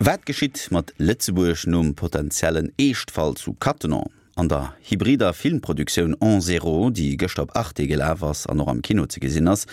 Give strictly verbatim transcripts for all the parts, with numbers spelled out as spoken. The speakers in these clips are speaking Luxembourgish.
Wat geschitt mat Lëtzebuerg nom potentiellen Eeschtfall zu Cattenom? An der hybrider Filmproduktioun An Zéro, déi gëschter op Arte gelaf ass an och am Kino ze gesinn ass,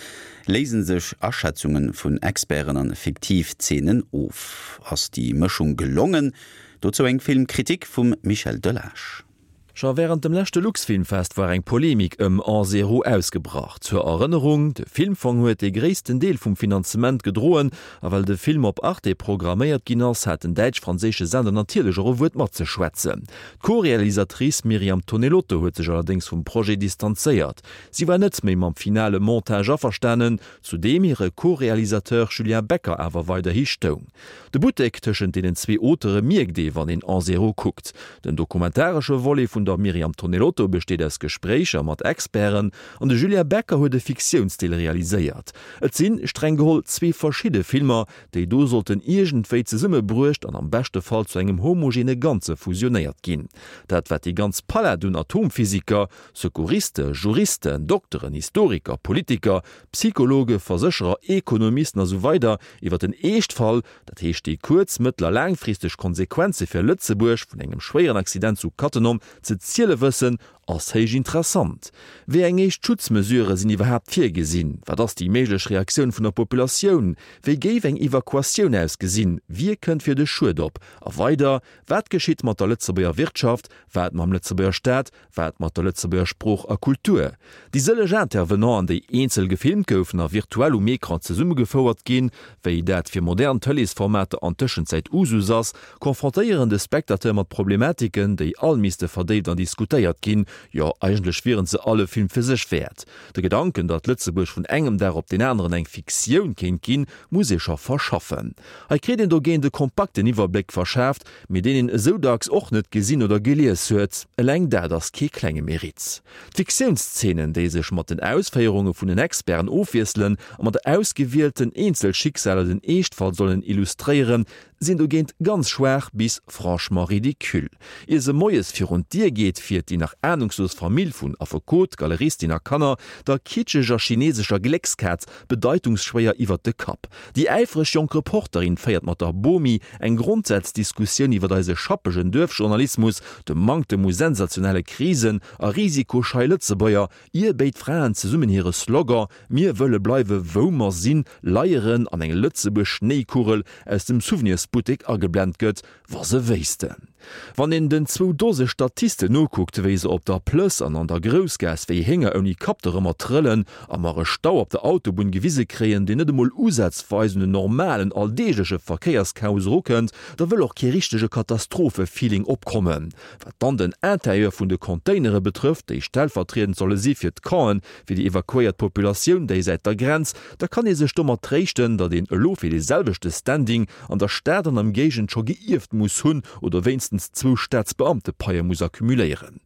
léise sech Aschätzunge vun Experten an fiktiv Zeenen of. Ass déi Mëschung gelongen? Dozou eng Filmkritik vum Michel Delage. Scho wärend dem leschte Luxfilmfest war eng Polemik ëm An Zéro ausgebrach. Zur Erënnerung, De Filmfong huet de gréissten Deel vum Finanzement gedroen a well de Film op Arte programméiert ginn ass, hat den däitsch-franséische Sender natierlech och e Wuert matzeschwätzen. D'Co-Realisatrice Myriam Tonelotto huet sech allerdéngs vum Projet distanzéiert. Si war net méi mam finale Montage averstanen, zu deem hire Co-Realisateur Julien Becker awer weiderhi stoung. De Buttek tëschent deenen zwee Auteure mierkt ee wann een An Zéro kuckt. Den dokumentaresche Volet vun der Myriam Tonelotto besteet aus Gespréicher mat Experten an de Julien Becker huet e Fiktiounsdeel realiséiert. Et sinn, streng geholl, zwee verschidde Filmer, déi do sollten iergendwéi zesummebruecht an am beschte Fall zu engem homogene Ganze fusionéiert ginn. Dat wat déi ganz Palett un Atomphysiker, Secouriste, Juristen, Dokteren, Historiker, Politiker, Psychologe, Versécherer, Ekonomisten a sou weider iwwer den Eeschtfall, dat heescht déi kuerz-, mëttel a laangfristeg Konsequenze fir Lëtzebuerg vun engem schwéieren Accident zu Cattenom, ze ziele wëssen, ass héich interessant. Wéi eng éischt Schutzmesurë sinn iwwerhaapt virgesinn? Wat ass déi méiglech Reaktioun vun der Populatioun? Wéi géif eng Evakuatioun ausgesinn? Wie kënnt fir de Schued op? A weider, wat geschitt mat der Lëtzebuerger Wirtschaft, wat mam Lëtzebuerger Staat, wat mat der Lëtzebuerger Sprooch a Kultur? Déi sëlleg Intervenanten, déi eenzel gefilmt goufen a virtuell um Ecran zesummegefouert ginn, wéi dat fir modern Tëleesformater an Tëschenzäit Usus ass, konfrontéieren de Spectateur mat Problematiken, déi all misste verdéift an diskutéiert ginn. Jo, eigentlech wieren se all e Film fir sech wäert. De Gedanken, datt Lëtzebuerg vun engem Dag op deen aneren eng Fiktioun kéint ginn, muss ee scho verschaffen. Hei kritt een dogéint e kompakten Iwwerbléck verschaaft, mee deen een esou dacks och net gesinn oder gelies huet. Eleng dat ass kee klenge Meritt. D'Fiktiounszenen, déi sech mat den Ausféierunge vun den Experten ofwiesselen a mat ausgewielten Eenzelschicksaler den Eeschtfall sollen illustréieren, sinn dogéint ganz schwaach bis franchement ridicule. Ier se moies virun d'Dier geet, fiert déi nach anungslos Famill vun Affekot, Galeristin a Kanner der kitscheger chinesescher Gléckskaz bedeitungsschwéier iwwert de Kapp. Déi äifreg jonk Reporterin féiert mat der Bomi eng Grondsazsdiskussioun iwwert eise schappegen Duerfjournalismus, de Manktem u sensationelle Krisen a risikoschei Lëtzebuerger, ier béid Fraen zesummen hire Slogan Mir wëlle bleiwe wou mer sinn leieren an eng Lëtzebuerg-Schnéikugel aus dem Souvenirsbuttek ageblent gëtt, wa se wéissten. Wann een den zwou Dose Statisten nokuckt, wéi se op der Plëss an an der Groussgaass wéi Hénger ouni Kapp dorëmmer trëllen a mer e Stau op der Autobunn gewise kréien, deen net emol usazweis un en normalen, alldeegleche Verkéierschaos erukënnt, da wëll och kee richtege Katastrophe-Feeling opkommen. Wat dann den Interieur vun de Containere betrëfft, déi stellvertriedend solle si fir d'Campen fir déi evakuéiert Populatioun déisäit der Grenz, da kann ee sech domat tréischten, datt een elo fir dee selwechte Standing an der Stad an der Géigend scho geierft muss hunn oder wéinstens zwou Staatsbeamtepaie muss accumuléieren.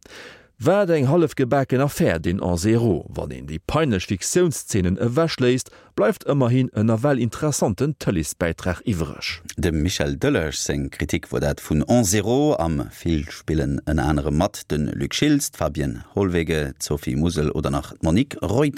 Wat eng hallef gebaken Affär deen An Zéro. Wann een déi peinlech Fiktiounszenen ewechléisst, bleift ëmmerhin en nawell interessanten Tëleesbäitrag iwwreg. Dem Michel Delage seng Kritik wor dat vun An Zéro. Am Film spillen ënner anerem mat, de Luc Schiltz, d'Fabienne Hollwege, d'Sophie Musel oder nach d'Monique Reuter.